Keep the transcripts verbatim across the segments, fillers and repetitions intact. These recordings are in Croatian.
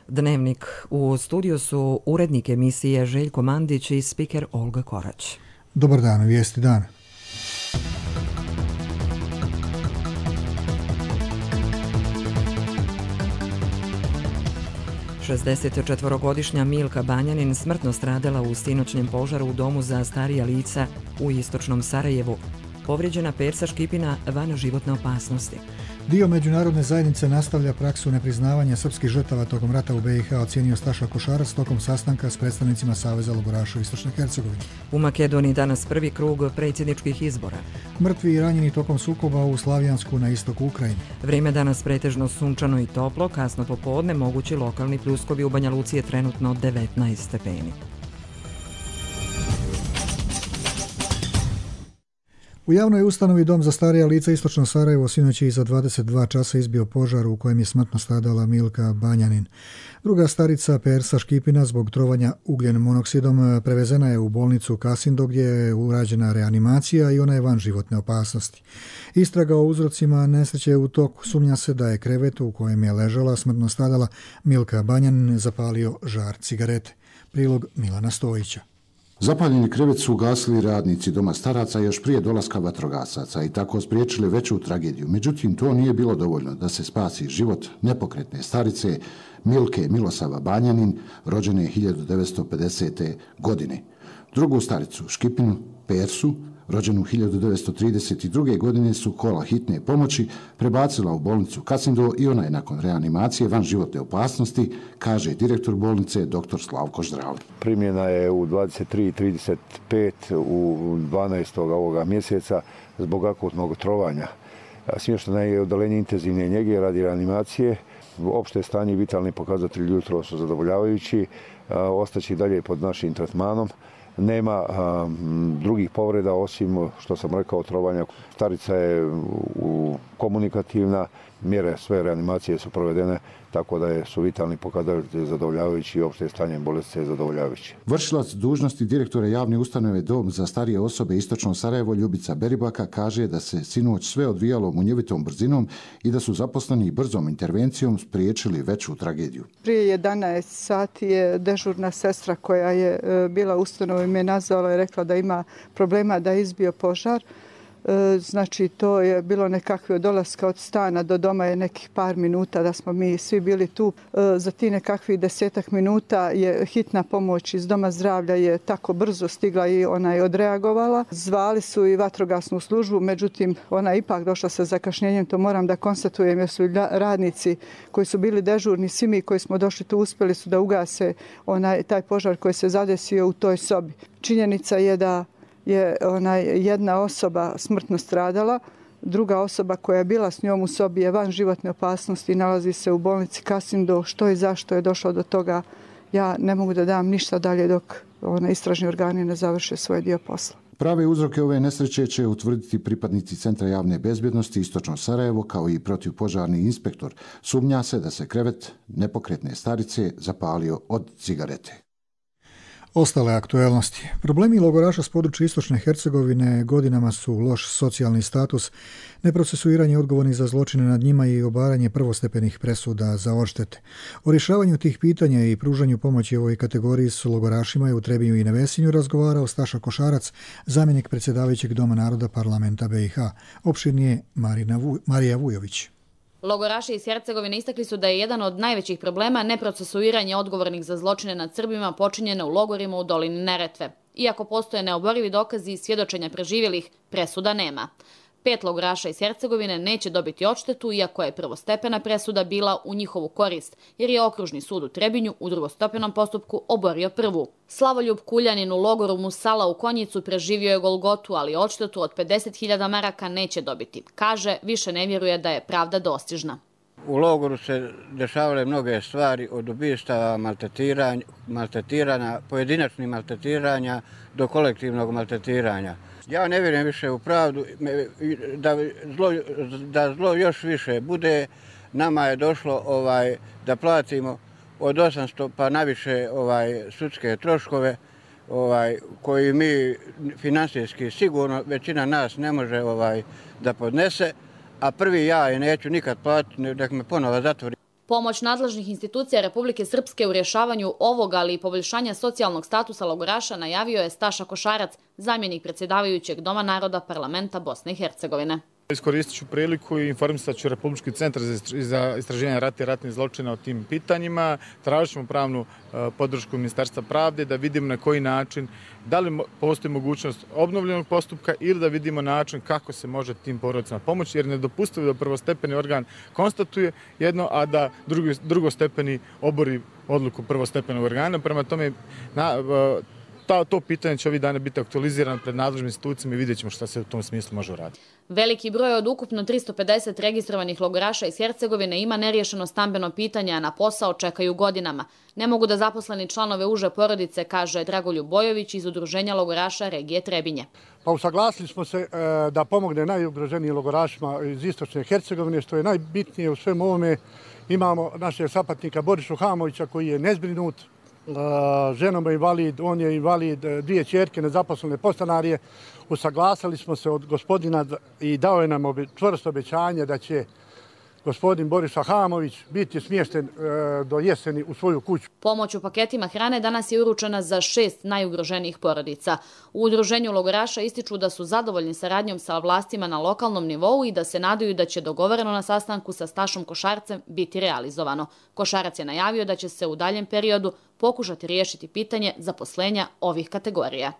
Dnevnik. U studiju su urednik emisije Željko Mandić i spiker Olga Korać. Dobar dan, vijesti dana. šezdesetčetvorogodišnja Milka Banjanin smrtno stradala u sinoćnjem požaru u domu za starija lica u istočnom Sarajevu. Povrijeđena Persa Škipina van životne opasnosti. Dio međunarodne zajednice nastavlja praksu nepriznavanja srpskih žrtava tokom rata u be i ha, ocijenio Staša Košarac tokom sastanka s predstavnicima Saveza logoraša u Istočnoj Hercegovini. U Makedoniji danas prvi krug predsjedničkih izbora. Mrtvi i ranjeni tokom sukoba u Slavijansku na istoku Ukrajine. Vrijeme danas pretežno sunčano i toplo, kasno popodne mogući lokalni pljuskovi, u Banja Luci je trenutno devetnaest stepeni. U javnoj ustanovi Dom za starija lica Istočno Sarajevo sinoć je iza dvadeset dva časa izbio požar u kojem je smrtno stradala Milka Banjanin. Druga starica Persa Škipina zbog trovanja ugljen monoksidom prevezena je u bolnicu Kasindo gdje je urađena reanimacija i ona je van životne opasnosti. Istraga o uzrocima nesreće je u toku. Sumnja se da je krevet u kojem je ležala smrtno stradala Milka Banjanin zapalio žar cigarete. Prilog Milana Stojića. Zapaljeni krevet su ugasili radnici Doma staraca još prije dolaska vatrogasaca i tako spriječili veću tragediju. Međutim, to nije bilo dovoljno da se spasi život nepokretne starice Milke Milosava Banjanin, rođene hiljadu devetsto pedesete. godine. Drugu staricu Škipinu Persu, rođenu hiljadu devetsto trideset druge. godine, su kola hitne pomoći prebacila u bolnicu Kasindo i ona je nakon reanimacije van životne opasnosti, kaže direktor bolnice dr. Slavko Ždrav. Primljena je u dvadeset tri trideset pet u dvanaestog ovoga mjeseca zbog akutnog trovanja. Smještena je u odeljenje intenzivne njege radi reanimacije. Opšte stanje i vitalni pokazatelji jutro su zadovoljavajući. Ostaće dalje pod našim tretmanom. Nema a, drugih povreda osim što sam rekao trovanja. Starica je u, komunikativna, mjere sve reanimacije su provedene, tako da je, su vitalni pokazatelji zadovoljavajući i opšte stanje bolesti je zadovoljavajući. Vršilac dužnosti direktora javne ustanove Dom za starije osobe Istočno Sarajevo Ljubica Beribaka kaže da se sinoć sve odvijalo munjevitom brzinom i da su zaposleni brzom intervencijom spriječili veću tragediju. Prije jedanaest sati je dežurna sestra koja je bila u ustanovi me nazvala i rekla da ima problema, da je izbio požar. Znači, to je bilo nekakve od dolaska od stana do doma je nekih par minuta da smo mi svi bili tu. Za ti nekakvih desetak minuta je hitna pomoć iz Doma zdravlja je tako brzo stigla i ona je odreagovala. Zvali su i vatrogasnu službu, međutim ona je ipak došla sa zakašnjenjem, to moram da konstatujem jer su radnici koji su bili dežurni, svi mi koji smo došli tu uspjeli su da ugase onaj, taj požar koji se zadesio u toj sobi. Činjenica je da je ona jedna osoba smrtno stradala, druga osoba koja je bila s njom u sobi je van životne opasnosti i nalazi se u bolnici Kasindo. Što i zašto je došlo do toga, ja ne mogu da dam ništa dalje dok ona, istražni organi ne završe svoj dio posla. Prave uzroke ove nesreće će utvrditi pripadnici Centra javne bezbjednosti Istočno Sarajevo kao i protivpožarni inspektor. Sumnja se da se krevet nepokretne starice zapalio od cigarete. Ostale aktuelnosti. Problemi logoraša s područja Istočne Hercegovine godinama su loš socijalni status, neprocesuiranje odgovornih za zločine nad njima i obaranje prvostepenih presuda za odštete. O rješavanju tih pitanja i pružanju pomoći ovoj kategoriji s logorašima je u Trebinju i Nevesinju razgovarao Staša Košarac, zamjenik predsjedavajućeg Doma naroda parlamenta be i ha. Opširnije Marina Vu, Marija Vujović. Logoraši iz Hercegovine istakli su da je jedan od najvećih problema neprocesuiranje odgovornih za zločine nad Srbima počinjene u logorima u dolini Neretve. Iako postoje neoborivi dokazi i svjedočenja preživjelih, presuda nema. Pet logoraša iz Hercegovine neće dobiti odštetu, iako je prvostepena presuda bila u njihovu korist, jer je okružni sud u Trebinju u drugostepenom postupku oborio prvu. Slavoljub Kuljanin u logoru Musala u Konjicu preživio je Golgotu, ali odštetu od pedeset hiljada maraka neće dobiti. Kaže, više ne vjeruje da je pravda dostižna. U logoru se dešavale mnoge stvari, od ubistava, maltretiranja, maltretiranja, pojedinačnih maltretiranja do kolektivnog maltretiranja. Ja ne vjerujem više u pravdu, da zlo, da zlo još više bude. Nama je došlo ovaj, da platimo od osamsto pa naviše ovaj, sudske troškove ovaj, koji mi finansijski sigurno većina nas ne može ovaj, da podnese, a prvi ja je neću nikad platiti, nek me ponovo zatvori. Pomoć nadležnih institucija Republike Srpske u rješavanju ovog, ali i poboljšanja socijalnog statusa logoraša najavio je Staša Košarac, zamjenik predsjedavajućeg Doma naroda Parlamenta Bosne i Hercegovine. Iskoristit ću priliku i informisat ću Republički centar za istraživanje rata i ratnih zločina o tim pitanjima. Tražit ćemo pravnu podršku Ministarstva pravde da vidimo na koji način, da li postoji mogućnost obnovljenog postupka ili da vidimo način kako se može tim porodicama pomoći, jer nedopustivo da prvostepeni organ konstatuje jedno, a da drugi, drugostepeni obori odluku prvostepenog organa. Prema tome, na, Ta, to pitanje će ovih dana biti aktualizirano pred nadležnim institucijama i vidjet ćemo šta se u tom smislu može uraditi. Veliki broj od ukupno tristo pedeset registrovanih logoraša iz Hercegovine ima neriješeno stambeno pitanje, a na posao čekaju godinama. Ne mogu da zaposleni članove uže porodice, kaže Dragoljub Bojović iz Udruženja logoraša regije Trebinje. Pa usaglasili smo se e, da pomogne najugroženijim logorašima iz istočne Hercegovine, što je najbitnije u svemu ovome. Imamo našeg sapatnika Borišu Hamovića koji je nezbrinut, ženom je invalid, on je invalid, dvije ćerke nezaposlene podstanarije. Usaglasili smo se od gospodina i dao je nam čvrsto obećanje da će gospodin Boriša Hamović biti smješten do jeseni u svoju kuću. Pomoć u paketima hrane danas je uručena za šest najugroženijih porodica. U Udruženju logoraša ističu da su zadovoljni saradnjom sa vlastima na lokalnom nivou i da se nadaju da će dogovoreno na sastanku sa Stašom Košarcem biti realizovano. Košarac je najavio da će se u daljem periodu pokušati riješiti pitanje zaposlenja ovih kategorija.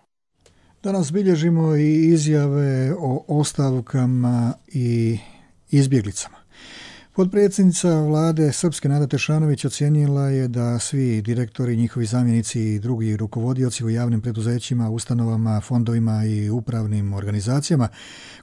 Danas bilježimo i izjave o ostavkama i izbjeglicama. Potpredsjednica vlade Srpske Nada Tešanović ocijenila je da svi direktori, njihovi zamjenici i drugi rukovodioci u javnim preduzećima, ustanovama, fondovima i upravnim organizacijama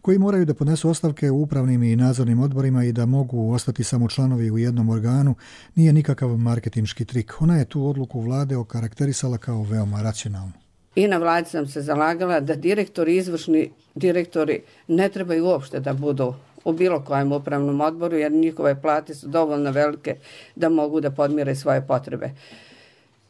koji moraju da podnesu ostavke u upravnim i nadzornim odborima i da mogu ostati samo članovi u jednom organu nije nikakav marketinški trik. Ona je tu odluku vlade okarakterisala kao veoma racionalnu. I na vladi sam se zalagala da direktori, izvršni direktori ne trebaju uopšte da budu u bilo kojem upravnom odboru, jer njihove plate su dovoljno velike da mogu da podmire svoje potrebe.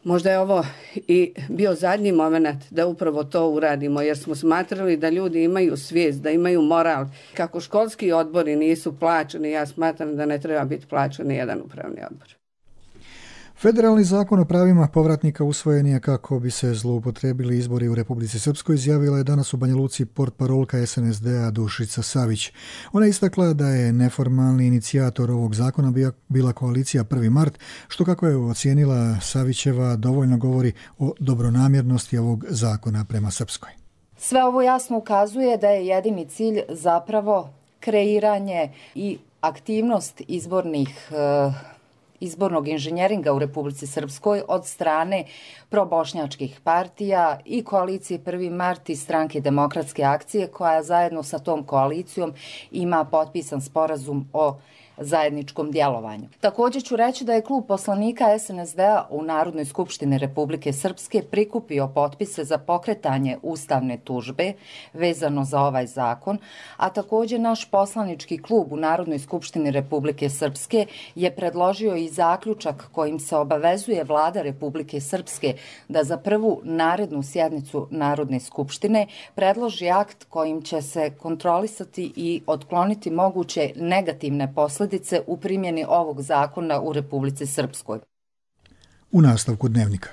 Možda je ovo i bio zadnji moment da upravo to uradimo, jer smo smatrali da ljudi imaju svijest, da imaju moral. Kako školski odbori nisu plaćeni, ja smatram da ne treba biti plaćen ni jedan upravni odbor. Federalni zakon o pravima povratnika usvojen je kako bi se zloupotrebili izbori u Republici Srpskoj, izjavila je danas u Banja Luci portparolka es en es de a Dušica Savić. Ona je istakla da je neformalni inicijator ovog zakona bila koalicija prvi mart, što kako je ocijenila Savićeva dovoljno govori o dobronamjernosti ovog zakona prema Srpskoj. Sve ovo jasno ukazuje da je jedini cilj zapravo kreiranje i aktivnost izbornih izbornog inženjeringa u Republici Srpskoj od strane probošnjačkih partija i koalicije prvi mart i stranke Demokratske akcije, koja zajedno sa tom koalicijom ima potpisan sporazum o zajedničkom djelovanju. Također ću reći da je klub poslanika es en es de a u Narodnoj skupštini Republike Srpske prikupio potpise za pokretanje ustavne tužbe vezano za ovaj zakon, a također naš poslanički klub u Narodnoj skupštini Republike Srpske je predložio i zaključak kojim se obavezuje vlada Republike Srpske da za prvu narednu sjednicu Narodne skupštine predloži akt kojim će se kontrolisati i otkloniti moguće negativne posljedice u primjeni ovog zakona u Republici Srpskoj. U nastavku dnevnika.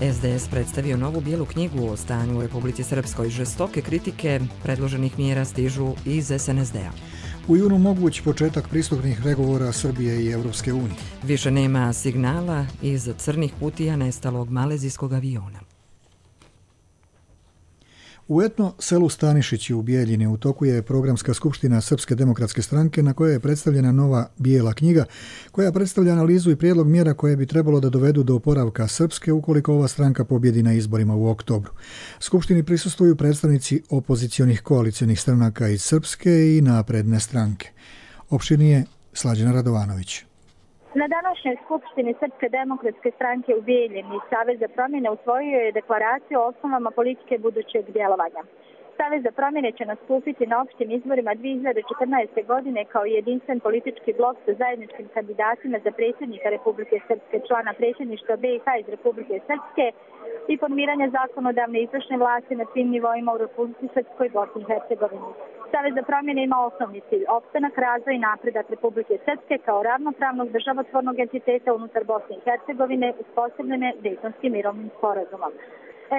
es de es predstavio novu bijelu knjigu o stanju u Republici Srpskoj. Žestoke kritike predloženih mjera stižu iz es en es de a. U junu moguć početak pristupnih pregovora Srbije i Evropske unije. Više nema signala iz crnih kutija nestalog malezijskog aviona. U etno selu Stanišići u Bijeljini u toku je programska skupština Srpske demokratske stranke na kojoj je predstavljena nova bijela knjiga koja predstavlja analizu i prijedlog mjera koje bi trebalo da dovedu do oporavka Srpske ukoliko ova stranka pobjedi na izborima u oktobru. Skupštini prisustvuju predstavnici opozicionih koalicionih stranaka iz Srpske i napredne stranke. Opširnije Slađana Radovanović. Na današnjoj skupštini Srpske demokratske stranke u Bijeljini Savez za promjene usvojio je deklaraciju o osnovama politike budućeg djelovanja. Savez za promjene će nastupiti na opštim izborima dvije hiljade četrnaeste. godine kao jedinstven politički blok sa zajedničkim kandidatima za predsjednika Republike Srpske, člana predsjedništva B i H iz Republike Srpske i formiranje zakonodavne i izvršne vlasti na svim nivoima u Republici Srpskoj i Bosni i Hercegovini. Savez za promjene ima osnovni cilj opstanak, razvoj i napredak Republike Srpske kao ravnopravnog državotvornog entiteta unutar Bosne i Hercegovine uspostavljene Dejtonskim mirovnim sporazumom.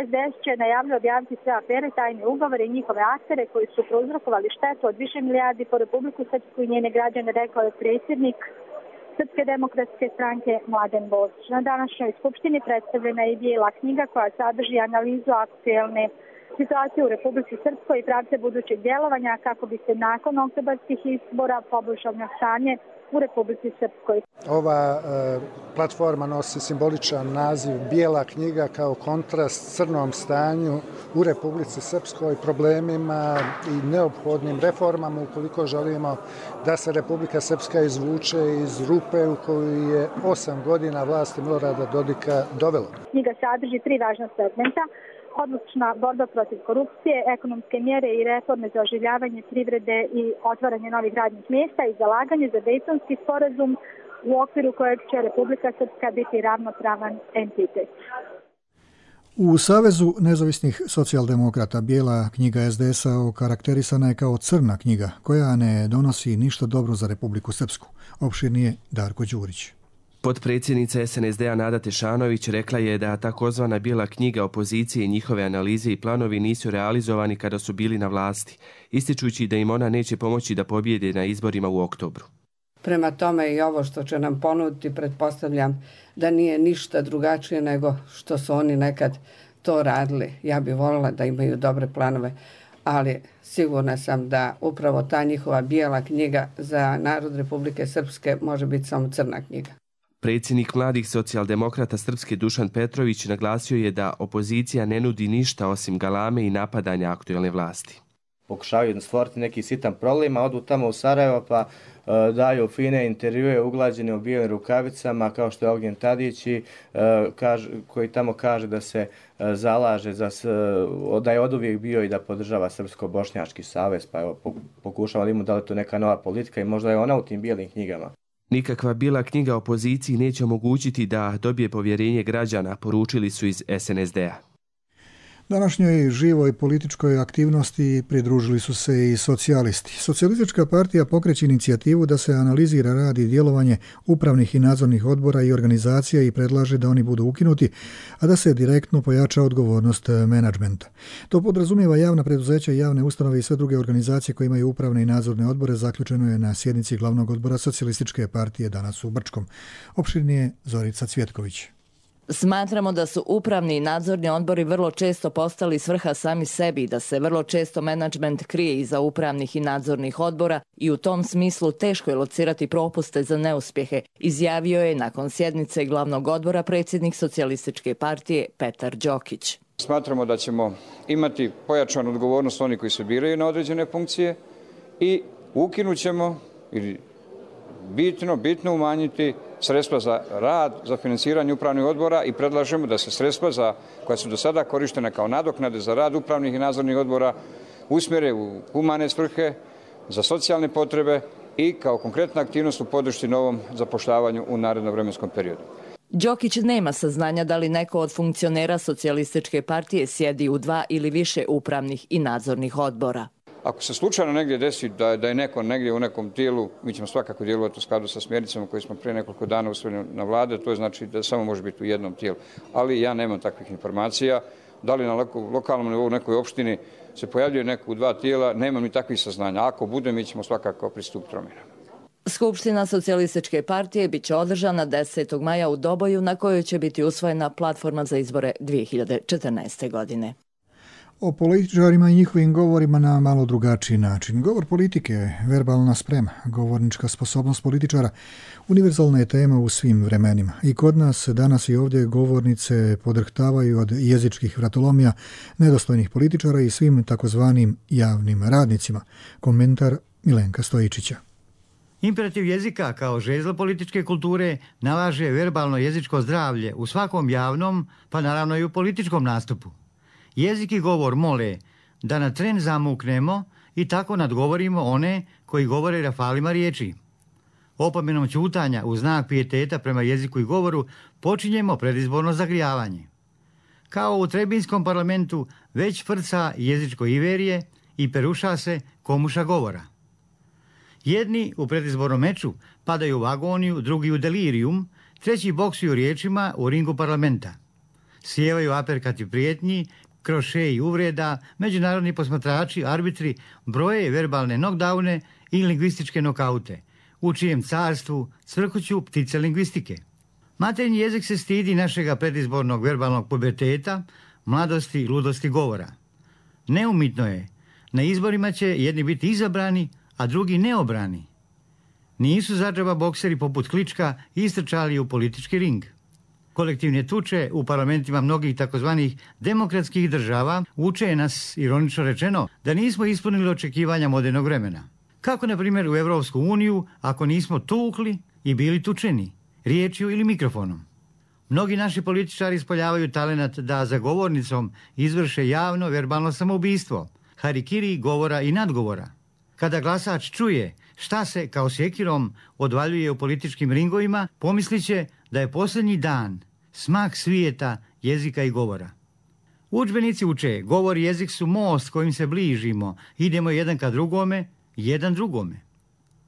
S D S će najavlju objaviti sve afere, tajne ugovore i njihove aktere koji su prouzrokovali štetu od više milijardi po Republiku Srpsku i njene građane, rekao je predsjednik Srpske demokratske stranke Mladen Božić. Na današnjoj skupštini predstavljena je i bijela knjiga koja sadrži analizu aktuelne situacije u Republici Srpskoj i pravce budućeg djelovanja kako bi se nakon oktobarskih izbora poboljšalo stanje u Republici Srpskoj. Ova e, platforma nosi simboličan naziv Bijela knjiga kao kontrast crnom stanju u Republici Srpskoj, problemima i neophodnim reformama ukoliko želimo da se Republika Srpska izvuče iz rupe u koju je osam godina vlasti Milorada Dodika dovelo. Knjiga sadrži tri važna segmenta: odlučna borba protiv korupcije, ekonomske mjere i reforme za oživljavanje privrede i otvaranje novih radnih mjesta i zalaganje za Dejtonski sporazum u okviru kojeg će Republika Srpska biti ravnopravan entitet. U Savezu nezavisnih socijaldemokrata Bijela knjiga S D S-a okarakterisana je kao crna knjiga koja ne donosi ništa dobro za Republiku Srpsku. Opširnije Darko Đurić. Potpredsjednica S N S D-a Nada Tešanović rekla je da takozvana bijela knjiga opozicije i njihove analize i planovi nisu realizovani kada su bili na vlasti, ističući da im ona neće pomoći da pobjede na izborima u oktobru. Prema tome i ovo što će nam ponuditi, pretpostavljam da nije ništa drugačije nego što su oni nekad to radili. Ja bih voljela da imaju dobre planove, ali sigurna sam da upravo ta njihova bijela knjiga za narod Republike Srpske može biti samo crna knjiga. Predsjednik mladih socijaldemokrata Srpske Dušan Petrović naglasio je da opozicija ne nudi ništa osim galame i napadanja aktuelne vlasti. Pokušavaju stvoriti neki sitan problem, a odu tamo u Sarajevo pa uh, daju fine intervjue uglađene u bijelim rukavicama kao što je Ognjen Tadić i, uh, kaž, koji tamo kaže da se uh, zalaže, za, uh, da je oduvijek bio i da podržava Srpsko-bošnjački savez, pa evo pokušava li mu da li to neka nova politika i možda je ona u tim bijelim knjigama. Nikakva bijela knjiga opoziciji neće omogućiti da dobije povjerenje građana, poručili su iz S N S D-a. Današnjoj živoj političkoj aktivnosti pridružili su se i socijalisti. Socijalistička partija pokreće inicijativu da se analizira rad i djelovanje upravnih i nadzornih odbora i organizacija i predlaže da oni budu ukinuti, a da se direktno pojača odgovornost menadžmenta. To podrazumijeva javna preduzeća, javne ustanove i sve druge organizacije koje imaju upravne i nadzorne odbore, zaključeno je na sjednici glavnog odbora Socijalističke partije danas u Brčkom. Opširnije Zorica Cvjetković. Smatramo da su upravni i nadzorni odbori vrlo često postali svrha sami sebi, da se vrlo često menadžment krije iza upravnih i nadzornih odbora i u tom smislu teško je locirati propuste za neuspjehe, izjavio je nakon sjednice glavnog odbora predsjednik Socijalističke partije Petar Đokić. Smatramo da ćemo imati pojačanu odgovornost oni koji se biraju na određene funkcije i ukinut ćemo ili bitno, bitno umanjiti sredstva za rad, za financiranje upravnih odbora i predlažemo da se sredstva za, koja su do sada korištena kao nadoknade za rad upravnih i nadzornih odbora usmjere u humane svrhe, za socijalne potrebe i kao konkretna aktivnost u podršci novom zapošljavanju u narednom vremenskom periodu. Đokić nema saznanja da li neko od funkcionera Socijalističke partije sjedi u dva ili više upravnih i nadzornih odbora. Ako se slučajno negdje desi da, da je neko negdje u nekom tijelu, mi ćemo svakako djelovati u skladu sa smjernicama koje smo prije nekoliko dana usvojili na vlade, to je znači da samo može biti u jednom tijelu. Ali ja nemam takvih informacija. Da li na lokalnom nivou u nekoj opštini se pojavljuje neko u dva tijela, nemam ni takvih saznanja. Ako bude, mi ćemo svakako pristupiti promjenama. Skupština Socijalističke partije bit će održana desetog maja u Doboju, na kojoj će biti usvojena platforma za izbore dvije hiljade četrnaeste. godine. O političarima i njihovim govorima na malo drugačiji način. Govor politike, verbalna sprema, govornička sposobnost političara, univerzalna je tema u svim vremenima. I kod nas danas i ovdje govornice podrhtavaju od jezičkih vratolomija, nedostojnih političara i svim takozvanim javnim radnicima. Komentar Milenka Stojičića. Imperativ jezika kao žezlo političke kulture nalaže verbalno jezičko zdravlje u svakom javnom, pa naravno i u političkom nastupu. Jezik i govor mole da na tren zamuknemo i tako nadgovorimo one koji govore rafalima riječi. Opomenom ćutanja u znak pijeteta prema jeziku i govoru počinjemo predizborno zagrijavanje. Kao u Trebinskom parlamentu već frca jezičko iverije i peruša se komuša govora. Jedni u predizbornom meču padaju u agoniju, drugi u delirijum, treći boksuju riječima u ringu parlamenta. Sjevaju aperkati prijetnji, krošeji uvreda, međunarodni posmatrači, arbitri broje verbalne knockdowne i lingvističke nokaute, u čijem carstvu cvrkuću ptice lingvistike. Materinji jezik se stidi našega predizbornog verbalnog puberteta, mladosti i ludosti govora. Neumitno je, na izborima će jedni biti izabrani, a drugi neobrani. Nisu zadžaba bokseri poput Klička istrčali u politički ring. Kolektivne tuče u parlamentima mnogih takozvanih demokratskih država uče nas, ironično rečeno, da nismo ispunili očekivanja modernog vremena. Kako, na primjer, u Evropsku uniju, ako nismo tukli i bili tučeni, riječju ili mikrofonom. Mnogi naši političari ispoljavaju talenat da za govornicom izvrše javno verbalno samoubistvo, harikiri govora i nadgovora. Kada glasač čuje šta se kao sjekirom odvaljuje u političkim ringovima, pomislit će da je posljednji dan, smak svijeta, jezika i govora. Udžbenici uče, govor i jezik su most kojim se bližimo, idemo jedan ka drugome, jedan drugome.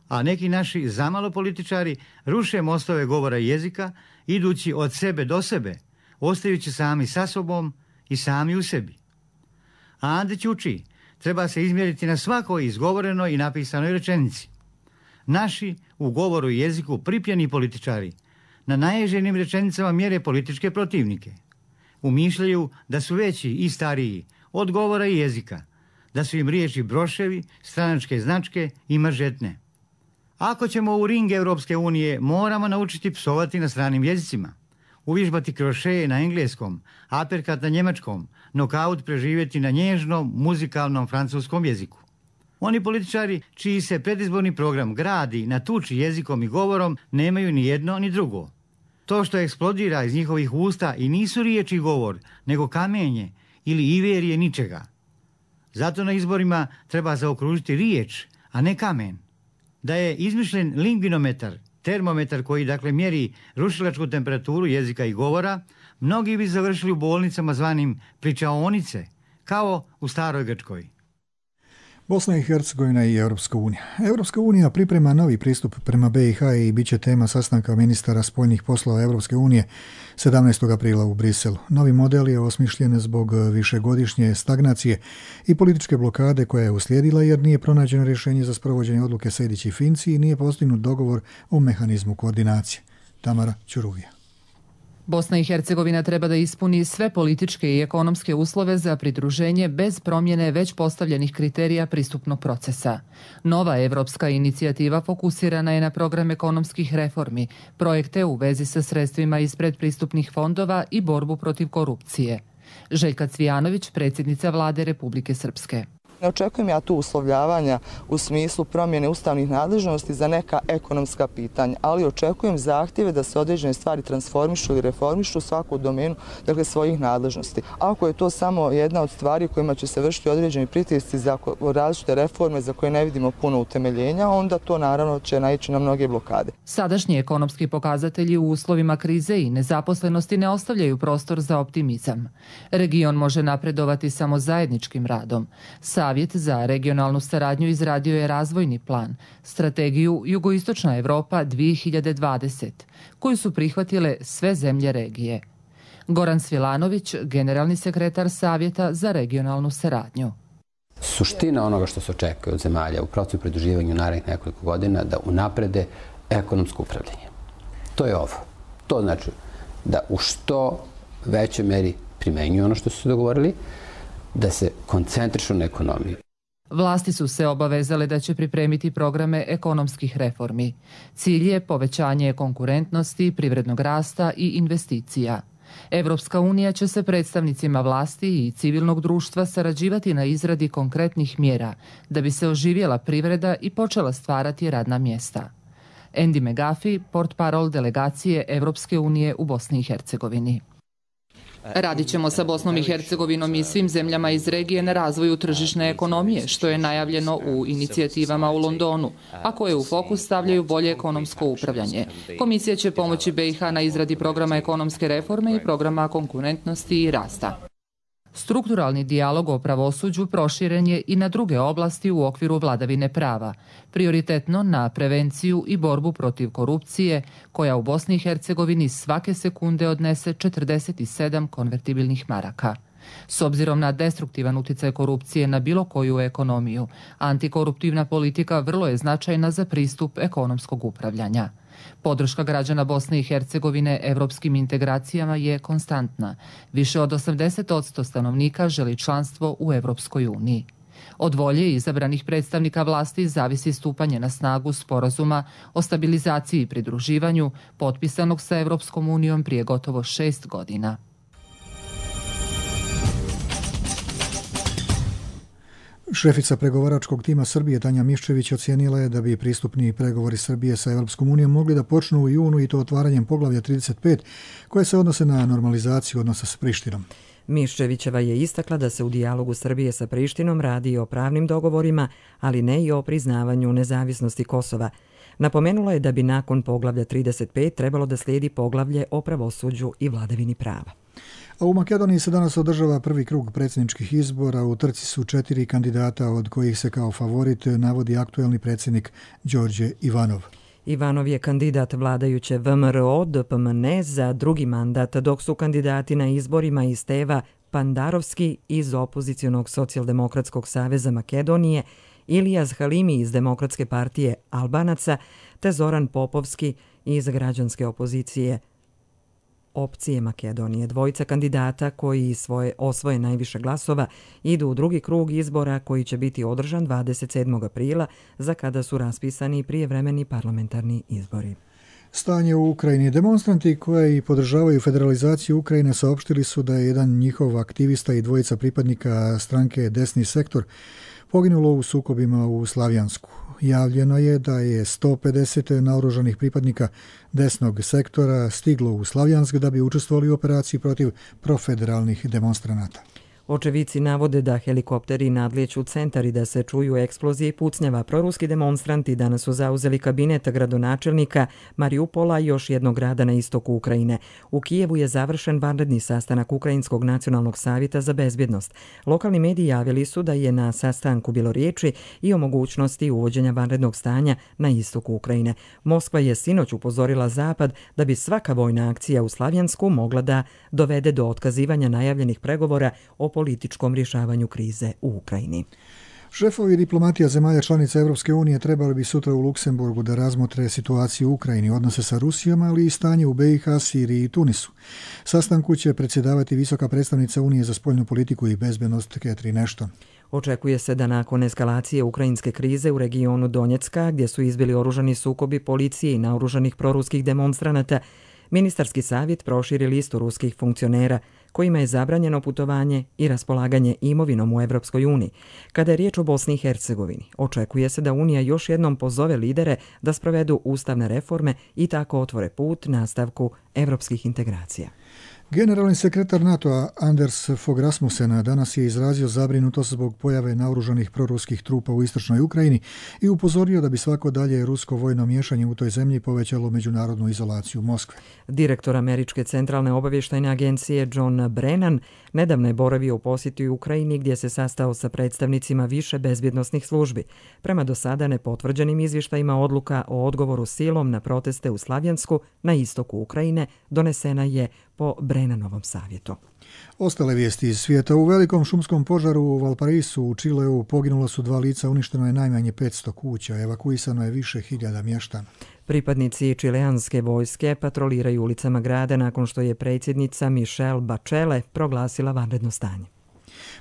A neki naši zamalo političari ruše mostove govora i jezika, idući od sebe do sebe, ostajući sami sa sobom i sami u sebi. A Andrić uči, treba se izmjeriti na svakoj izgovorenoj i napisanoj rečenici. Naši u govoru i jeziku pripjeni političari na najježenim rečenicama mjere političke protivnike. Umišljaju da su veći i stariji od govora i jezika, da su im riječi broševi, stranačke značke i mažetne. Ako ćemo u ring Europske unije, moramo naučiti psovati na stranim jezicima, uvježbati krošeje na engleskom, aperkat na njemačkom, nokaut preživjeti na nježnom, muzikalnom francuskom jeziku. Oni političari čiji se predizborni program gradi na tuči jezikom i govorom nemaju ni jedno ni drugo. To što eksplodira iz njihovih usta i nisu riječi i govor, nego kamenje ili iverije ničega. Zato na izborima treba zaokružiti riječ, a ne kamen. Da je izmišljen lingvinometar, termometar koji dakle mjeri rušilačku temperaturu jezika i govora, mnogi bi završili u bolnicama zvanim pričaonice, kao u staroj Grčkoj. Bosna i Hercegovina i Europska unija. Europska unija priprema novi pristup prema be i ha i bit će tema sastanka ministara spoljnih poslova Europske unije sedamnaestog aprila u Briselu. Novi model je osmišljen zbog višegodišnje stagnacije i političke blokade koja je uslijedila jer nije pronađeno rješenje za sprovođenje odluke Sejdić i Finci i nije postignut dogovor o mehanizmu koordinacije. Tamara Ćuruvija. Bosna i Hercegovina treba da ispuni sve političke i ekonomske uslove za pridruženje bez promjene već postavljenih kriterija pristupnog procesa. Nova evropska inicijativa fokusirana je na program ekonomskih reformi, projekte u vezi sa sredstvima iz predpristupnih fondova i borbu protiv korupcije. Željka Cvijanović, predsjednica Vlade Republike Srpske. Ne očekujem ja tu uslovljavanja u smislu promjene ustavnih nadležnosti za neka ekonomska pitanja, ali očekujem zahtjeve da se određene stvari transformišu ili reformišu u svaku domenu, dakle, svojih nadležnosti. Ako je to samo jedna od stvari kojima će se vršiti određeni pritisci za različite reforme za koje ne vidimo puno utemeljenja, onda to naravno će naići na mnoge blokade. Sadašnji ekonomski pokazatelji u uslovima krize i nezaposlenosti ne ostavljaju prostor za optimizam. Region može napredovati samo zajedničkim radom. Savjet za regionalnu saradnju izradio je razvojni plan, strategiju Jugoistočna Evropa dvije hiljade dvadeset, koju su prihvatile sve zemlje regije. Goran Svilanović, generalni sekretar Savjeta za regionalnu saradnju. Suština onoga što se očekuje od zemalja u procesu pridruživanja u narednih nekoliko godina da unaprede ekonomsko upravljanje. To je ovo. To znači da u što većoj meri primenjuju ono što su se dogovorili, da se koncentrišu na ekonomiju. Vlasti su se obavezale da će pripremiti programe ekonomskih reformi. Cilj je povećanje konkurentnosti, privrednog rasta i investicija. Evropska unija će se predstavnicima vlasti i civilnog društva sarađivati na izradi konkretnih mjera da bi se oživjela privreda i počela stvarati radna mjesta. Andy McGuffey, portparol delegacije Evropske unije u Bosni i Hercegovini. Radit ćemo sa Bosnom i Hercegovinom i svim zemljama iz regije na razvoju tržišne ekonomije, što je najavljeno u inicijativama u Londonu, a koje u fokus stavljaju bolje ekonomsko upravljanje. Komisija će pomoći B i H na izradi programa ekonomske reforme i programa konkurentnosti i rasta. Strukturalni dijalog o pravosuđu proširen je i na druge oblasti u okviru vladavine prava, prioritetno na prevenciju i borbu protiv korupcije, koja u Bosni i Hercegovini svake sekunde odnese četrdeset sedam konvertibilnih maraka. S obzirom na destruktivan uticaj korupcije na bilo koju ekonomiju, antikoruptivna politika vrlo je značajna za pristup ekonomskog upravljanja. Podrška građana Bosne i Hercegovine evropskim integracijama je konstantna. Više od osamdeset posto stanovnika želi članstvo u Evropskoj uniji. Od volje izabranih predstavnika vlasti zavisi stupanje na snagu sporazuma o stabilizaciji i pridruživanju, potpisanog sa Evropskom unijom prije gotovo šest godina. Šefica pregovaračkog tima Srbije Tanja Miščević ocijenila je da bi pristupni pregovori Srbije sa Evropskom unijom mogli da počnu u junu i to otvaranjem poglavlja trideset pet koje se odnose na normalizaciju odnosa s Prištinom. Miščevićeva je istakla da se u dijalogu Srbije sa Prištinom radi i o pravnim dogovorima, ali ne i o priznavanju nezavisnosti Kosova. Napomenula je da bi nakon poglavlja trideset pet trebalo da slijedi poglavlje o pravosuđu i vladavini prava. A u Makedoniji se danas održava prvi krug predsjedničkih izbora. U trci su četiri kandidata, od kojih se kao favorit navodi aktuelni predsjednik Đorđe Ivanov. Ivanov je kandidat vladajuće V M R O D P M N E za drugi mandat, dok su kandidati na izborima i Steva Pandarovski iz opozicionog socijaldemokratskog saveza Makedonije, Ilijaz Halimi iz Demokratske partije Albanaca te Zoran Popovski iz građanske opozicije Opcije Makedonije. Dvojica kandidata koji svoje osvoje najviše glasova idu u drugi krug izbora koji će biti održan dvadeset sedmog aprila, za kada su raspisani prijevremeni parlamentarni izbori. Stanje u Ukrajini. Demonstranti koji podržavaju federalizaciju Ukrajine saopštili su da je jedan njihov aktivista i dvojica pripadnika stranke Desni sektor poginulo u sukobima u Slavjansku. Javljeno je da je sto pedeset naoružanih pripadnika desnog sektora stiglo u Slavjansk da bi učestvovali u operaciji protiv profederalnih demonstranata. Očevici navode da helikopteri nadlijeću centar i da se čuju eksplozije i pucnjava. Proruski demonstranti danas su zauzeli kabinet gradonačelnika Mariupola i još jednog grada na istoku Ukrajine. U Kijevu je završen vanredni sastanak Ukrajinskog nacionalnog savjeta za bezbjednost. Lokalni mediji javili su da je na sastanku bilo riječi i o mogućnosti uvođenja vanrednog stanja na istoku Ukrajine. Moskva je sinoć upozorila Zapad da bi svaka vojna akcija u Slavjansku mogla da dovede do otkazivanja najavljenih pregovora o političkom rješavanju krize u Ukrajini. Šefovi diplomatija zemalja članica Evropske unije trebali bi sutra u Luksemburgu da razmotre situaciju u Ukrajini, odnose sa Rusijom, ali i stanje u B i H, Siriji i Tunisu. Sastanku će predsjedavati visoka predstavnica Unije za spoljnu politiku i bezbednost Catherine Ashton. Očekuje se da nakon eskalacije ukrajinske krize u regionu Donjecka, gdje su izbili oružani sukobi policije i naoružanih proruskih demonstranata, Ministarski savjet proširi listu ruskih funkcionera kojima je zabranjeno putovanje i raspolaganje imovinom u Evropskoj uniji. Kada je riječ o Bosni i Hercegovini, očekuje se da Unija još jednom pozove lidere da sprovedu ustavne reforme i tako otvore put nastavku evropskih integracija. Generalni sekretar NATO-a Anders Fogh Rasmussen danas je izrazio zabrinutost zbog pojave naoružanih proruskih trupa u istočnoj Ukrajini i upozorio da bi svako dalje rusko vojno miješanje u toj zemlji povećalo međunarodnu izolaciju Moskve. Direktor Američke centralne obavještajne agencije John Brennan nedavno je boravio u posjeti u Ukrajini gdje se sastao sa predstavnicima više bezbjednosnih službi. Prema do sada nepotvrđenim izvještajima odluka o odgovoru silom na proteste u Slavjansku na istoku Ukrajine donesena je po Brennanovom savjetu. Ostale vijesti iz svijeta. U velikom šumskom požaru u Valparisu u Čileu poginula su dva lica, uništeno je najmanje petsto kuća, evakuisano je više hiljada mještana. Pripadnici čileanske vojske patroliraju ulicama grada nakon što je predsjednica Michelle Bachelet proglasila vanredno stanje.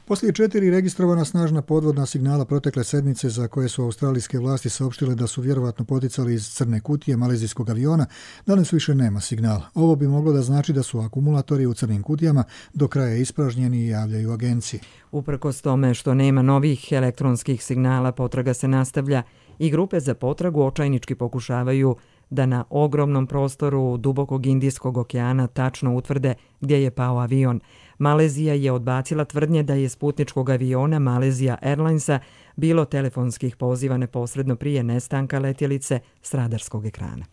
Poslije četiri registrovana snažna podvodna signala protekle sedmice za koje su australijske vlasti saopštile da su vjerovatno poticali iz crne kutije malezijskog aviona, danas više nema signala. Ovo bi moglo da znači da su akumulatori u crnim kutijama do kraja ispražnjeni i javljaju agenciji. Uprkos tome što nema novih elektronskih signala, potraga se nastavlja i grupe za potragu očajnički pokušavaju da na ogromnom prostoru dubokog Indijskog okeana tačno utvrde gdje je pao avion. Malezija je odbacila tvrdnje da je s putničkog aviona Malaysia Airlinesa bilo telefonskih poziva neposredno prije nestanka letjelice s radarskog ekrana.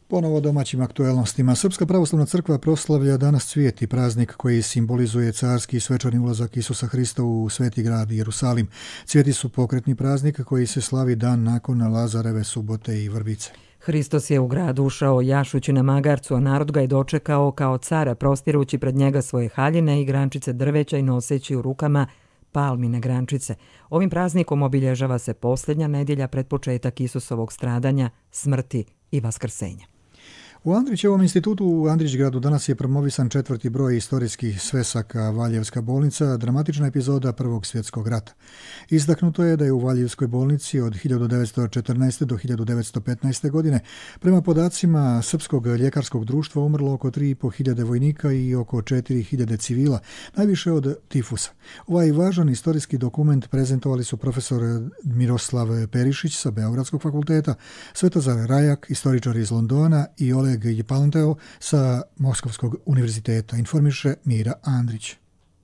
Ponovo domaćim aktuelnostima. Srpska pravoslavna crkva proslavlja danas Cvijeti, praznik koji simbolizuje carski i svečani ulazak Isusa Hrista u sveti grad Jerusalim. Cvijeti su pokretni praznik koji se slavi dan nakon Lazareve subote i vrbice. Hristos je u grad ušao jašući na magarcu, a narod ga je dočekao kao cara, prostirući pred njega svoje haljine i grančice drveća i noseći u rukama palmine grančice. Ovim praznikom obilježava se posljednja nedjelja pred početak Isusovog stradanja, smrti i vaskrsenja. U Andrićevom institutu u Andrićgradu danas je promovisan četvrti broj istorijskih svesaka Valjevska bolnica, dramatična epizoda Prvog svjetskog rata. Istaknuto je da je u Valjevskoj bolnici od hiljadu devetsto četrnaeste. do hiljadu devetsto petnaeste. godine prema podacima Srpskog ljekarskog društva umrlo oko tri i po hiljade vojnika i oko četiri hiljade civila, najviše od tifusa. Ovaj važan istorijski dokument prezentovali su profesor Miroslav Perišić sa Beogradskog fakulteta, Svetozar Rajak, istoričar iz Londona i Oleg Jepalanteo sa Moskovskog univerziteta, informiše Mira Andrić.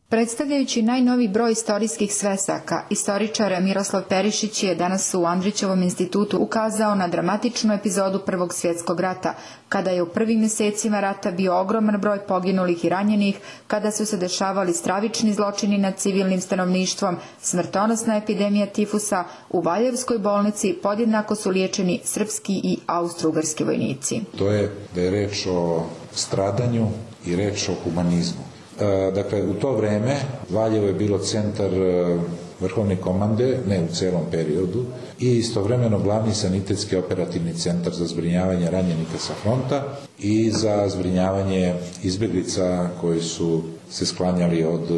Predstavljajući najnoviji broj istorijskih svesaka, istoričar Miroslav Perišić je danas u Andrićevom institutu ukazao na dramatičnu epizodu Prvog svjetskog rata, kada je u prvim mjesecima rata bio ogroman broj poginulih i ranjenih, kada su se dešavali stravični zločini nad civilnim stanovništvom, smrtonosna epidemija tifusa, u Valjevskoj bolnici podjednako su liječeni srpski i austrougarski vojnici. To je da je reč o stradanju i reč o humanizmu. Dakle, u to vreme Valjevo je bilo centar vrhovne komande, ne u celom periodu, i istovremeno glavni sanitetski operativni centar za zbrinjavanje ranjenika sa fronta i za zbrinjavanje izbjeglica koji su se sklanjali od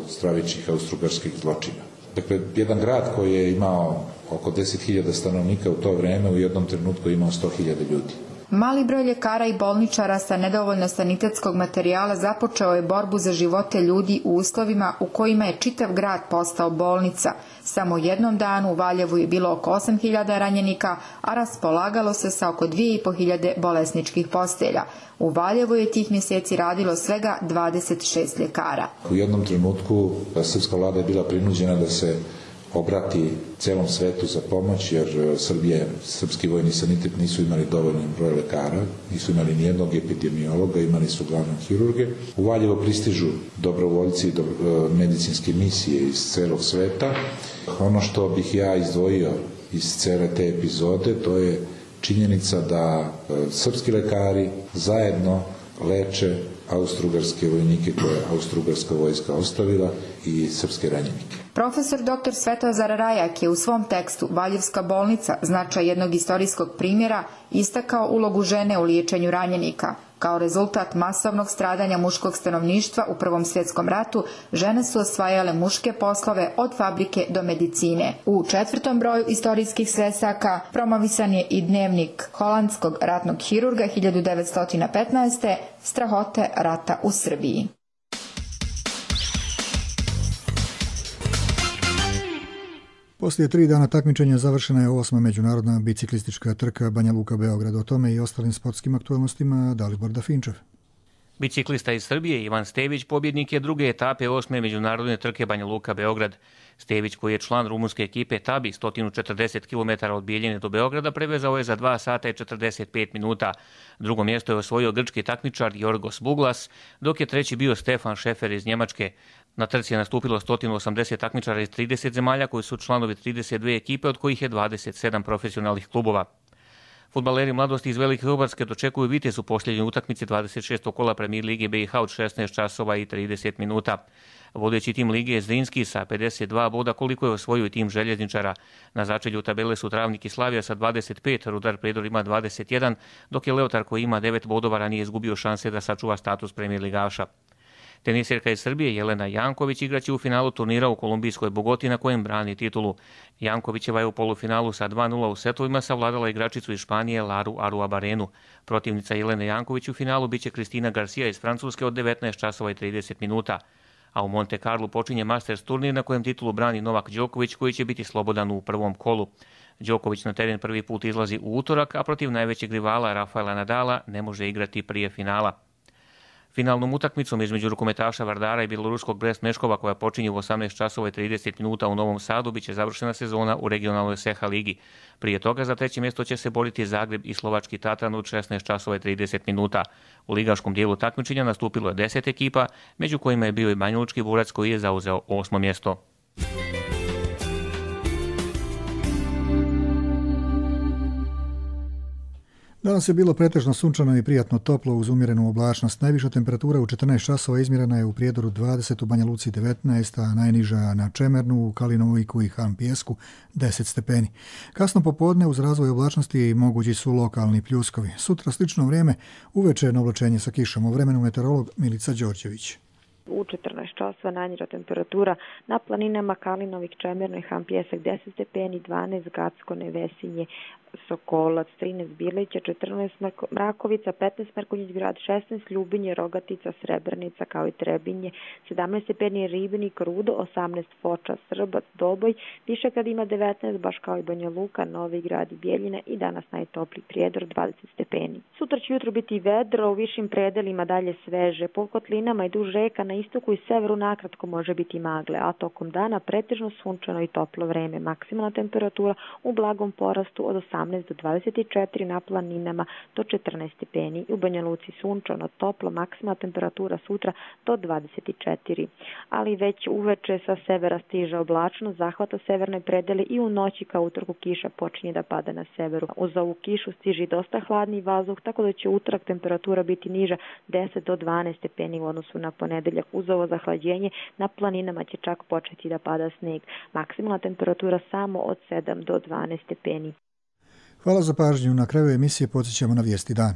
stravičnih austrougarskih zločina. Dakle, jedan grad koji je imao oko deset hiljada stanovnika u to vreme u jednom trenutku imao sto hiljada ljudi. Mali broj ljekara i bolničara sa nedovoljno sanitetskog materijala započeo je borbu za živote ljudi u uslovima u kojima je čitav grad postao bolnica. Samo jednom danu u Valjevu je bilo oko osam hiljada ranjenika, a raspolagalo se sa oko dvije i po hiljade bolesničkih postelja. U Valjevu je tih mjeseci radilo svega dvadeset šest ljekara. U jednom trenutku srpska vlada je bila prinuđena da se obrati celom svetu za pomoć, jer Srbije, srpski vojni sanitet nisu imali dovoljno broj lekara, nisu imali nijednog epidemiologa, imali su glavnog hirurge. U Valjevo pristižu dobrovoljci i medicinske misije iz celog sveta. Ono što bih ja izdvojio iz cele te epizode, to je činjenica da srpski lekari zajedno leče austrougarske vojnike koje je austrougarska vojska ostavila i srpske ranjenike. Profesor doktor Svetozar Rajak je u svom tekstu Valjevska bolnica, značaj jednog istorijskog primjera, istakao ulogu žene u liječenju ranjenika. Kao rezultat masovnog stradanja muškog stanovništva u Prvom svjetskom ratu, žene su osvajale muške poslove od fabrike do medicine. U četvrtom broju istorijskih svesaka promovisan je i dnevnik holandskog ratnog hirurga hiljadu devetsto petnaeste. Strahote rata u Srbiji. Poslije tri dana takmičenja završena je osma međunarodna biciklistička trka Banja Luka-Beograd. O tome i ostalim sportskim aktualnostima Dalibor Dafinčev. Biciklista iz Srbije Ivan Stević pobjednik je druge etape osme međunarodne trke Banja Luka-Beograd. Stević, koji je član rumunske ekipe Tabi, sto četrdeset kilometara od Bijeljine do Beograda, prevezao je za dva sata i četrdeset pet minuta. Drugo mjesto je osvojio grčki takmičar Jorgos Buglas, dok je treći bio Stefan Šefer iz Njemačke. Na trci je nastupilo sto osamdeset takmičara iz trideset zemalja koji su članovi trideset dve ekipe, od kojih je dvadeset sedam profesionalnih klubova. Fudbaleri mladosti iz Velike Hrvatske dočekuju Vitez u posljednjoj utakmici dvadeset šestog kola Premijer lige B i H od šesnaest časova i trideset minuta. Vodeći tim lige je Zrinski sa pedeset dva boda, koliko je osvojio tim željezničara. Na začelju tabele su Travnik i Slavija sa dvadeset pet, Rudar Prijedor ima dvadeset jedan, dok je Leotar koji ima devet bodova ranije izgubio šanse da sačuva status premijer ligaša. Tenisirka iz Srbije Jelena Janković igraće u finalu turnira u kolumbijskoj Bogoti na kojem brani titulu. Jankovićeva je u polufinalu sa dva nula u setovima savladala igračicu iz Španije Laru Aruabarenu. Protivnica Jelene Janković u finalu biće Kristina Garcia iz Francuske od devetnaest časova i trideset minuta. A u Monte Carlo počinje Masters turnir na kojem titulu brani Novak Đoković, koji će biti slobodan u prvom kolu. Đoković na teren prvi put izlazi u utorak, a protiv najvećeg rivala Rafaela Nadala ne može igrati prije finala. Finalnom utakmicom između rukometaša Vardara i bjeloruskog Brest Meškova, koja počinje u osamnaest časova i trideset minuta u Novom Sadu, biće završena sezona u regionalnoj S E H A ligi. Prije toga za treće mjesto će se boriti Zagreb i slovački Tatran u šesnaest časova i trideset minuta. U ligaškom dijelu takmičenja nastupilo je deset ekipa, među kojima je bio i Banjalučki Burac koji je zauzeo osmo mjesto. Danas je bilo pretežno sunčano i prijatno toplo uz umjerenu oblačnost. Najviša temperatura u četrnaest časova izmjerena je u Prijedoru dvadeset, u Banja Luci devetnaest, a najniža na Čemernu, u Kalinoviku i Han Pijesku deset stepeni. Kasno popodne uz razvoj oblačnosti mogući su lokalni pljuskovi. Sutra slično vrijeme, uveče na oblačenje sa kišom. U vremenu meteorolog Milica Đorđević. U četrnaest časova najniža temperatura na planinama Kalinovik, Čemerno i Han Pijesak deset stepeni, dvanaest Gacko, Nevesinje, Sokolac, trinaest Bilića, četrnaest Mrakovica, petnaest Mrkonjić Grad, šesnaest Ljubinje, Rogatica, Srebrnica kao i Trebinje, sedamnaest stepeni Ribnik, Rudo, osamnaest Foča, Srbac, Doboj, Višegrad ima devetnaest, baš kao i Banja Luka, Novi Grad i Bjeljina i danas najtopliji Prijedor dvadeset stepeni. Sutra će jutro biti vedro, u višim predelima dalje sveže, po kotlinama i duž reka na istoku i severu nakratko može biti magle, a tokom dana pretežno sunčano i toplo vreme. Maksimalna temperatura u blagom porastu od osamnaest do dvadeset četiri, na planinama do četrnaest stepeni. U Banja Luci sunčano, toplo, maksimalna temperatura sutra do dvadeset četiri. Ali već uveče sa severa stiže oblačnost, zahvata severne predele i u noći kao utorku kiša počinje da pada na severu. Uz ovu kišu stiže dosta hladni vazduh, tako da će utorak temperatura biti niža deset do dvanaest stepeni u odnosu na ponedeljak. Uz ovo zahlađenje na planinama će čak početi da pada sneg. Maksimalna temperatura samo od sedam do dvanaest stepeni. Hvala za pažnju. Na kraju emisije podsjećamo na vijesti dana.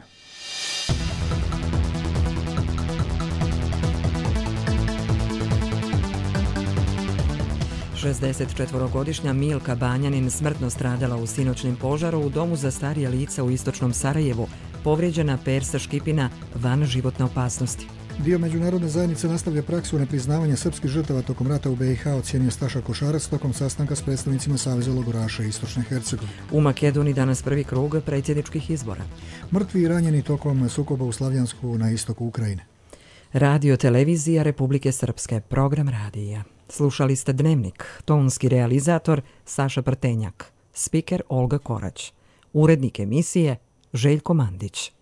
šezdesetčetvorogodišnja Milka Banjanin smrtno stradala u sinoćnom požaru u domu za starija lica u istočnom Sarajevu, povrijeđena persa Škipina van životne opasnosti. Dio međunarodne zajednice nastavlja praksu nepriznavanja srpskih žrtava tokom rata u B i H, ocijenio Staša Košarac tokom sastanka s predstavnicima Saveza logoraša Istočne Hercegovine. U Makedoniji danas prvi krug predsjedničkih izbora. Mrtvi i ranjeni tokom sukoba u Slavjansku na istoku Ukrajine. Radio televizija Republike Srpske, program radija. Slušali ste Dnevnik, tonski realizator Saša Prtenjak, spiker Olga Korać, urednik emisije Željko Mandić.